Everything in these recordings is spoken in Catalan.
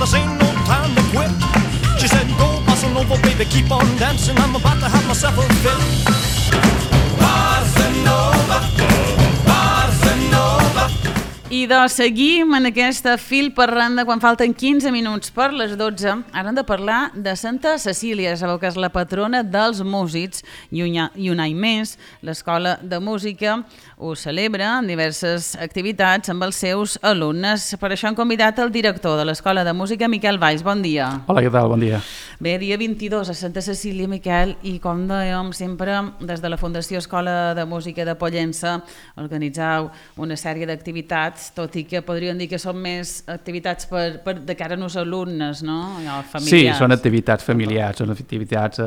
this ain't no time to quit. She said, go bossa nova, baby, keep on dancing. I'm about to have myself a fit. Bossa nova, bossa nova. I doncs seguim en aquesta fil per randa quan falten 15 minuts per les 12. Ara hem de parlar de Santa Cecília, sabeu que és la patrona dels músics i un any més l'Escola de Música ho celebra en diverses activitats amb els seus alumnes. Per això hem convidat el director de l'Escola de Música, Miquel Valls. Bon dia. Hola, què tal? Bon dia. Bé, dia 22 a Santa Cecília, Miquel, i com dèiem sempre, des de la Fundació Escola de Música de Pollença organitzeu una sèrie d'activitats, tot i que podríem dir que són més activitats de cara als alumnes, no? Familiars. Sí, són activitats familiars, són activitats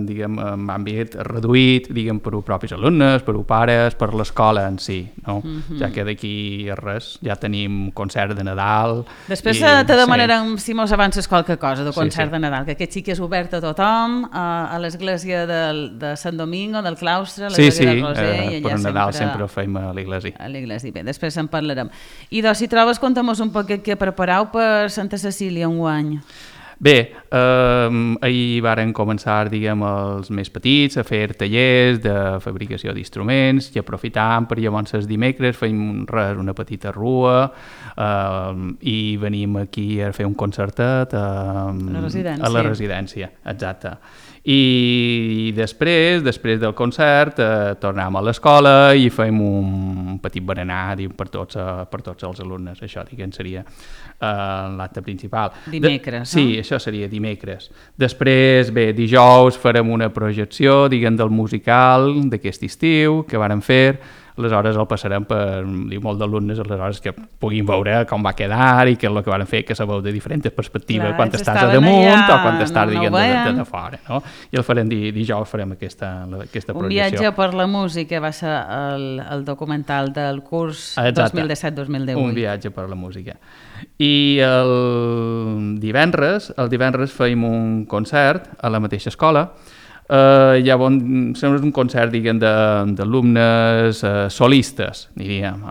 diguem, en àmbit reduït, diguem, per als propis alumnes, per als pares, per l'escola en si, no? Ja que d'aquí res, ja tenim concert de Nadal. Després te demanarem si mos avances qualque cosa de concert de Nadal, que aquest sí que és obert a tothom, a l'església de Sant Domingo, del claustre, a l'església de Roser. Per Nadal sempre ho fem a l'església. A l'església, bé, després en parlarem. I doncs, si trobes, conta'm-nos un poc què prepareu per Santa Cecília enguany. Bé, ahir varen començar, diguem, els més petits a fer tallers de fabricació d'instruments i aprofitant per llavors els dimecres fem una petita rua i venim aquí a fer un concertet a la residència, exacte. I després del concert tornem a l'escola i fem un petit berenar per tots els alumnes. Això, diguem, seria l'acte principal. Dimecres, no? Sí, això seria dimecres. Després, bé, dijous farem una projecció, diguem, del musical d'aquest estiu que vàrem fer. Aleshores el passarem per molt d'alumnes, aleshores que puguin veure com va quedar i què és el que van fer, que sabeu de diferents perspectives, quan estàs a damunt o quan estàs, diguem, de fora, no? I el farem dijous, farem aquesta projecció. Un viatge per la música va ser el documental del curs 2017-2018. Un viatge per la música. I el divendres fem un concert a la mateixa escola. Sembla un concert, diguem, d'alumnes solistes, diríem.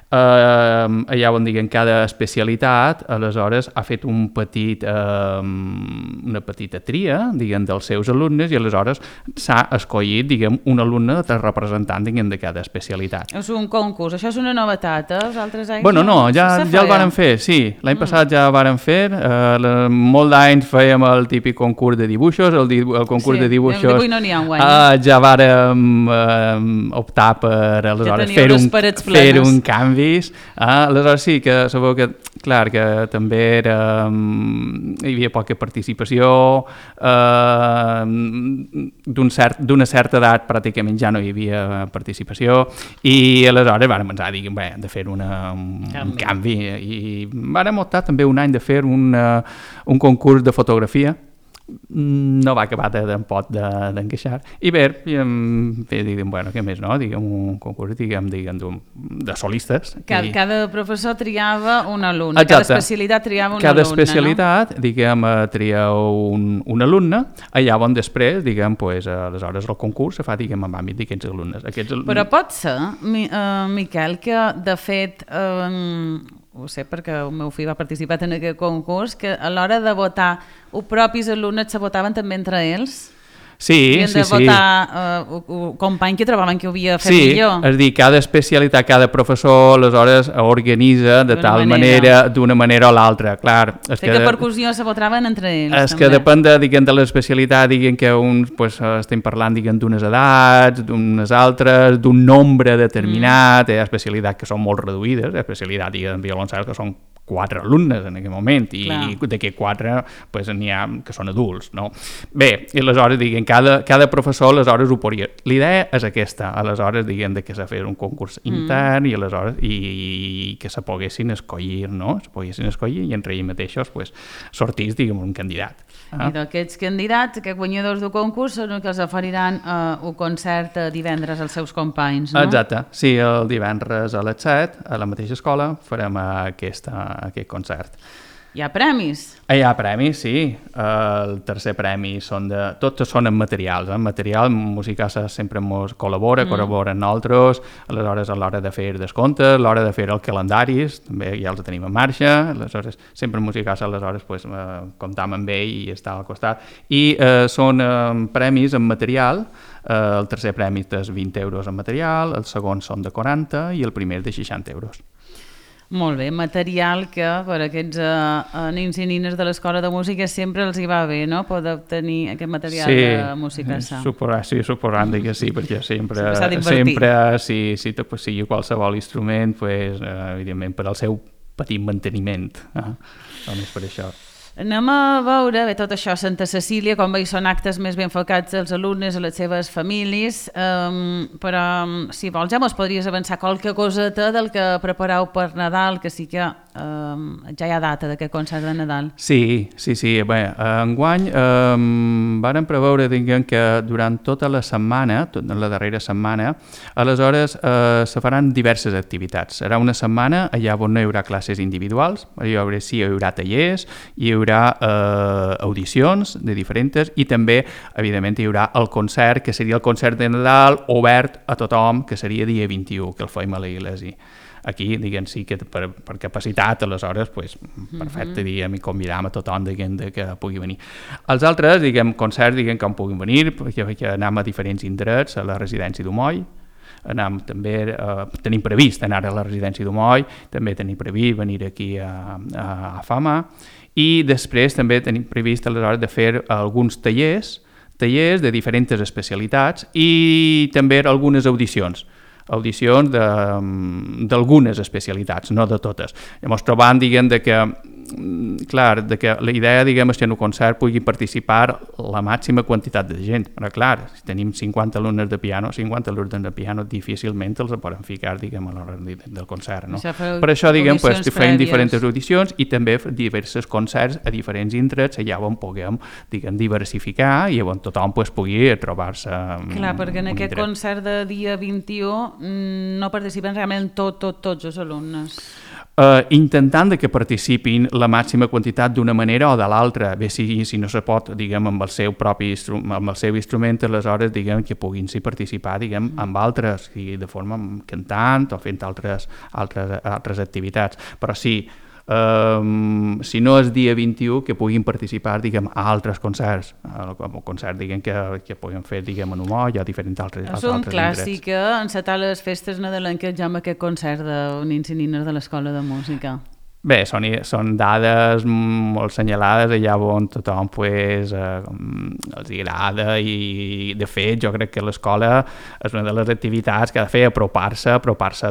Allà on, diguem, cada especialitat, aleshores, ha fet una petita tria, diguem, dels seus alumnes i aleshores s'ha escollit, diguem, un alumne representant, diguem, de cada especialitat. És un concurs, això és una novetat, els altres anys? Bueno, no, ja el vàrem fer, sí. L'any passat ja el vàrem fer, molt d'anys fèiem el típic concurs de dibuixos, el concurs de dibuixos ja vàrem optar per, aleshores, fer un canvi. Aleshores sí, que sabeu que, clar, que també hi havia poca participació, d'una certa edat pràcticament ja no hi havia participació i aleshores vàrem pensar, diguem, de fer un canvi i vàrem optar també un any de fer un concurs de fotografia. No va acabar tampoc d'encaixar. I bé, diguem, bueno, què més, no? Diguem, un concurs, diguem, de solistes. Cada professor triava un alumne, cada especialitat triava un alumne, no? Cada especialitat, diguem, triava un alumne, allà on després, diguem, aleshores el concurs se fa, diguem, en àmbit d'aquests alumnes. Però pot ser, Miquel, que de fet... ho sé perquè el meu fill va participar en aquest concurs, que a l'hora de votar els propis alumnes se votaven també entre ells? Sí, de votar un company que trobaven que ho havia fet millor. Sí, és a dir, cada especialitat, cada professor aleshores organitza de tal manera, d'una manera o l'altra, clar. Que percussió se votaven entre ells. És que depèn de l'especialitat, diguem que uns estem parlant d'unes edats, d'unes altres, d'un nombre determinat, hi ha especialitats que són molt reduïdes, especialitat, diguem, violoncel, que són 4 alumnes en aquell moment i d'aquests 4 n'hi ha que són adults, no? Bé, i aleshores, diguem, cada professor aleshores ho podria... L'idea és aquesta, aleshores, diguem, que s'ha fet un concurs intern i aleshores que se poguessin escollir, no? Se poguessin escollir i entre ells mateixos sortís, diguem, un candidat. I d'aquests candidats, aquests guanyadors del concurs, són els que els oferiran un concert divendres als seus companys, no? Exacte, sí, el divendres a les 7, a la mateixa escola, farem aquest concert. Hi ha premis? Hi ha premis, sí. El tercer premi tots són en materials. En material, Musicasa sempre ens col·labora amb nosaltres, aleshores a l'hora de fer descomptes, a l'hora de fer els calendaris, també ja els tenim en marxa, aleshores sempre Musicasa, aleshores pues, comptam amb ell i està al costat. I són premis en material. El tercer premi és 20 euros en material, el segon són de 40 i el primer de 60 euros. Molt bé, material que per aquests nins i nines de l'Escola de Música sempre els hi va bé, no?, poder obtenir aquest material de Musicasa. Sí, suposant que sí, perquè sempre si sigui qualsevol instrument, pues, evidentment per al seu petit manteniment, només per això. Anem a veure, bé, tot això a Santa Cecília, com veig, són actes més ben enfocats als alumnes, a les seves famílies, però si vols ja mos podries avançar qualque coseta del que prepareu per Nadal, que sí que ja hi ha data d'aquest concert de Nadal. Sí. Bé, enguany vàrem preveure, diguem, que durant tota la setmana, la darrera setmana, aleshores se faran diverses activitats. Serà una setmana allà on no hi haurà classes individuals, hi haurà tallers, hi haurà audicions de diferents i també, evidentment, hi haurà el concert, que seria el concert de Nadal obert a tothom, que seria dia 21, que el fem a l'església. Aquí, diguem, sí que per capacitat, aleshores, pues, perfecte, diguem, i convidam a tothom que pugui venir. Els altres, diguem, concerts, diguem, que puguin venir, perquè anem a diferents indrets, a la residència d'Umoll, tenim previst anar a la residència d'Umoll, també tenim previst venir aquí a Fama, i després també tenim previst aleshores de fer alguns tallers de diferents especialitats i també algunes audicions d'algunes especialitats, no de totes. Llavors trobant, diguem, que la idea, diguem, és que en un concert pugui participar la màxima quantitat de gent. Però clar, si tenim 50 alumnes de piano, difícilment els poden ficar, diguem, a l'hora del concert, no? Per això, diguem, pues, fem diferents audicions i també diversos concerts a diferents indrets, allà on puguem, diguem, diversificar i on tothom pues, pugui trobar-se. Clar, perquè en aquest concert de dia 21 no participen realment tots els alumnes. Intentant que participin la màxima quantitat d'una manera o de l'altra, bé si no se pot, diguem, amb el seu propi instrument, aleshores, diguem, que puguin participar, diguem, amb altres, de forma cantant o fent altres activitats. Però sí, si no és dia 21, que puguin participar, diguem, a altres concerts, com un concert, diguem, que puguin fer, diguem, en Umoll o diferents altres indrets. És un clàssic, encetar les festes nadalenques ja amb aquest concert de nins i nines de l'Escola de Música. Bé, són dades molt senyalades allà on tothom pues, els agrada i de fet jo crec que l'escola és una de les activitats que ha de fer apropar-se a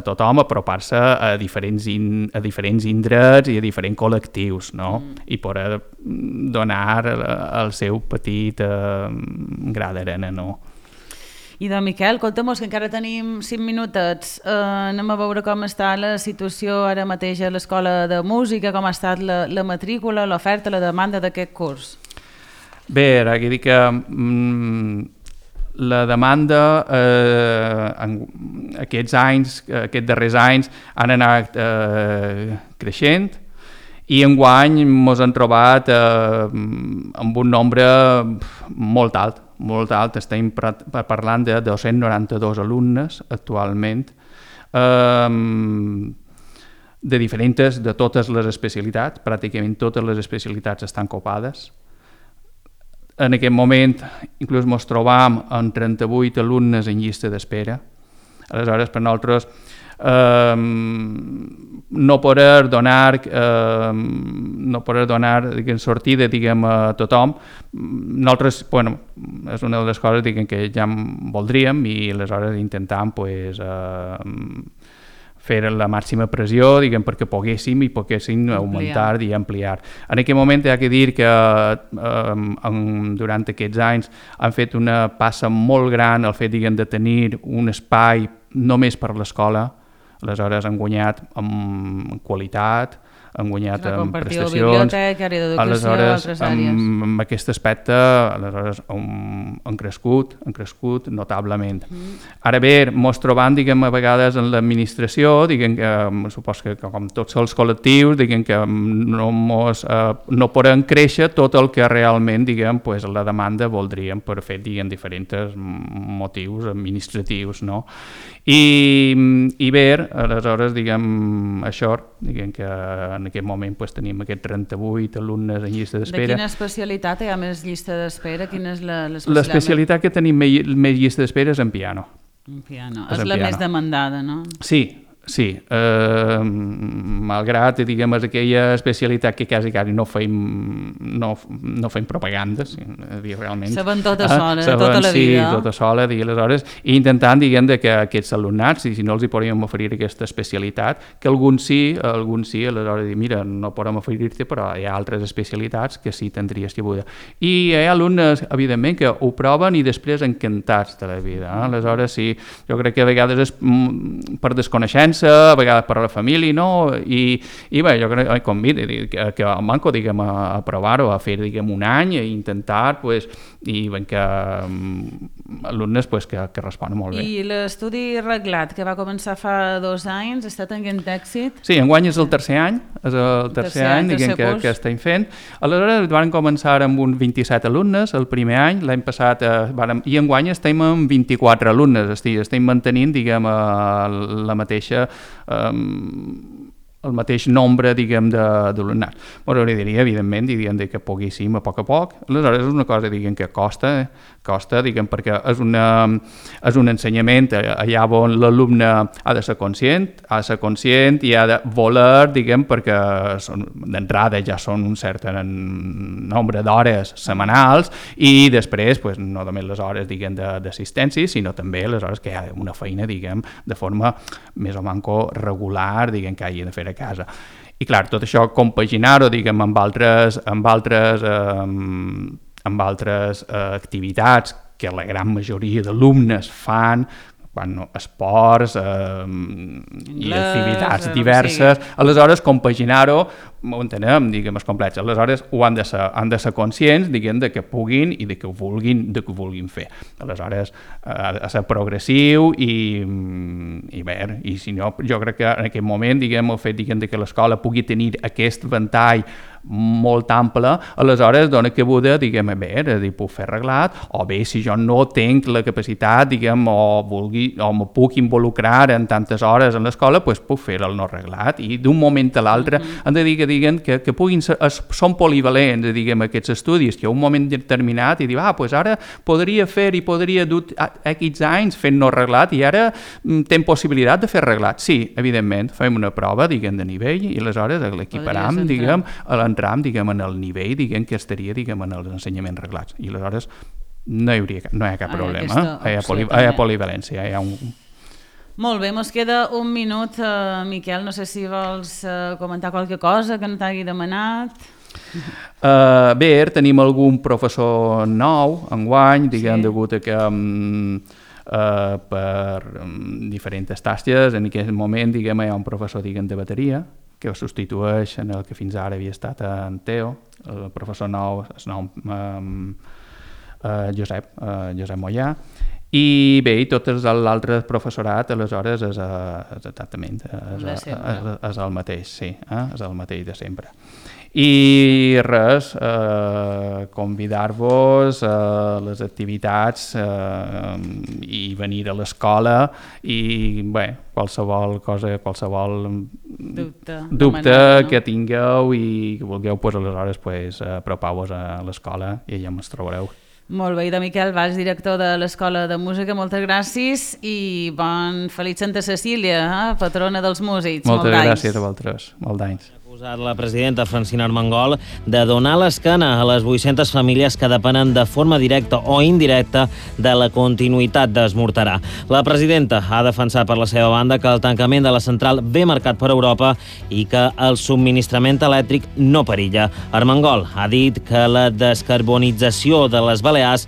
tothom, apropar-se a diferents indrets i a diferents col·lectius, no? I poder donar el seu petit gra d'arena, no? I de Miquel, conta'm-nos que encara tenim 5 minutets. Anem a veure com està la situació ara mateix a l'Escola de Música, com ha estat la matrícula, l'oferta, la demanda d'aquest curs. Bé, ara aquí dic que la demanda aquests darrers anys han anat creixent i enguany ens hem trobat amb un nombre molt alt, estem parlant de 292 alumnes actualment, de totes les especialitats, pràcticament totes les especialitats estan copades. En aquest moment inclús ens trobam amb 38 alumnes en llista d'espera. Aleshores, per nosaltres, no poder donar sortida, diguem, a tothom, nosaltres, bueno, és una de les coses, diguem, que ja voldríem i aleshores intentam pues, fer la màxima pressió, diguem, perquè poguéssim augmentar i ampliar. En aquest moment hi ha que dir que durant aquests anys han fet una passa molt gran el fet, diguem, de tenir un espai només per l'escola. Aleshores han guanyat en qualitat, han guanyat com prestacions. biblioteca, àrea d'educació, altres àrees. Amb aquest aspecte, aleshores, han crescut notablement. Ara bé, mos trobam, diguem, a vegades en l'administració, diguem que, supos que com tots els col·lectius, diguem que no poden créixer tot el que realment, diguem, pues, la demanda voldríem per fer, diguem, diferents motius administratius, no? I bé, aleshores, diguem, això, diguem que en aquest moment pues, tenim aquests 38 alumnes en llista d'espera. De quina especialitat hi ha més llista d'espera? Quina és l'especialitat? L'especialitat que tenim més llista d'espera és en piano. En piano. És la més demandada, no? Sí, malgrat, diguem, és aquella especialitat que quasi no fem propaganda, realment. Saben tota sola, tota la vida. Sí, tota sola, aleshores, i intentant, diguem, que aquests alumnats, si no els hi podríem oferir aquesta especialitat, que alguns sí, aleshores dir, mira, no podem oferir-te, però hi ha altres especialitats que sí tindries cabuda. I hi ha alumnes, evidentment, que ho proven i després encantats de la vida. Aleshores, sí, jo crec que a vegades és per desconeixença, a vegades per a la família, no? I bé, jo crec que convido que el manco, diguem, a provar-ho, a fer, diguem, un any, a intentar, pues, i ben que alumnes pues, que responen molt bé. I l'estudi reglat, que va començar fa 2 anys, està tenint èxit? Sí, enguany és el tercer any, diguem, que estem fent. Aleshores van començar amb uns 27 alumnes el primer any, l'any passat i enguany estem amb 24 alumnes, estem mantenint, diguem, la mateixa el mateix nombre, diguem, d'alumnat. M'agradaria, evidentment, diguem, que poguéssim a poc. Aleshores, és una cosa, diguem, que costa, diguem, perquè és un ensenyament allà on l'alumne ha de ser conscient i ha de voler, diguem, perquè d'entrada ja són un cert nombre d'hores setmanals i després, pues, no només les hores, diguem, d'assistència, sinó també les hores que hi ha una feina, diguem, de forma més o manco regular, diguem, que hagi de fer a casa. I clar, tot això compaginar-ho, diguem, amb altres activitats que la gran majoria d'alumnes fan, esports i activitats diverses, aleshores compaginar-ho, ho entenem, diguem, és complex, aleshores ho han de ser conscients, diguem, de que puguin i de que ho vulguin fer. Aleshores ha de ser progressiu i bé, i si no, jo crec que en aquest moment, diguem, el fet, diguem, que l'escola pugui tenir aquest ventall molt ample, aleshores dona cabuda, diguem, bé, puc fer reglat, o bé, si jo no tinc la capacitat, diguem, o me puc involucrar en tantes hores en l'escola, doncs puc fer el no reglat, i d'un moment a l'altre han de dir que puguin ser, són polivalents, diguem, aquests estudis, que a un moment determinat i dir, doncs ara podria fer i podria dur X anys fent no reglat i ara tem possibilitat de fer reglat. Sí, evidentment, fem una prova, diguem, de nivell i aleshores l'equiparam, diguem, l'entram, diguem, en el nivell, diguem, que estaria, diguem, en els ensenyaments reglats. I aleshores no hi ha cap problema. Hi ha polivalència, hi ha un... Molt bé, mos queda un minut, Miquel, no sé si vols comentar qualque cosa que no t'hagi demanat. Bé, tenim algun professor nou enguany, diguem, degut a que per diferents tasques, en aquest moment, diguem, hi ha un professor, diguem, de bateria, que substitueix en el que fins ara havia estat en Teo, el professor nou es nou Josep Mollà, i bé, i tot l'altre professorat aleshores és exactament és el mateix, sí, és el mateix de sempre. I res, convidar-vos a les activitats i venir a l'escola i bé, qualsevol cosa, qualsevol dubte que tingueu i que vulgueu, aleshores apropeu-vos a l'escola i allà ens trobareu. Molt bé, i de Miquel Valls, director de l'Escola de Música, moltes gràcies i feliç Santa Cecília, patrona dels músics. Moltes gràcies a vosaltres, molt d'anys. La presidenta Francina Armengol de donar l'esquena a les 800 famílies que depenen de forma directa o indirecta de la continuïtat d'Esmorterà. La presidenta ha defensat per la seva banda que el tancament de la central ve marcat per Europa i que el subministrament elèctric no perilla. Armengol ha dit que la descarbonització de les Balears